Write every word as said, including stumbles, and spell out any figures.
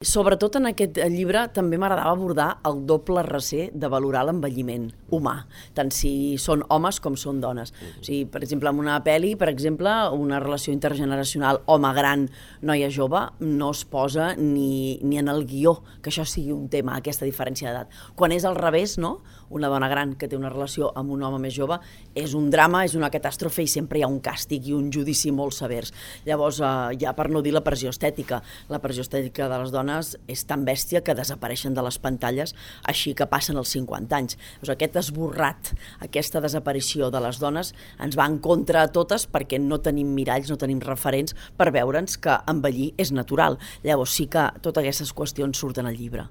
Sobretot en aquest llibre també m'agradava abordar el doble recer de valorar l'envelliment humà, tant si són homes com són dones. O sigui, per exemple, en una pel·li, per exemple, una relació intergeneracional home gran, noia jove, no es posa ni, ni en el guió que això sigui un tema, aquesta diferència d'edat. Quan és al revés, no? Una dona gran que té una relació amb un home més jove, és un drama, és una catàstrofe i sempre hi ha un càstig i un judici molt severs. Llavors, eh, ja per no dir la pressió estètica, la pressió estètica de les dones és tan bèstia que desapareixen de les pantalles així que passen els cinquanta anys. Doncs aquest esborrat, aquesta desaparició de les dones ens va en contra a totes perquè no tenim miralls, no tenim referents per veure'ns que envellir és natural. Llavors sí que totes aquestes qüestions surten al llibre.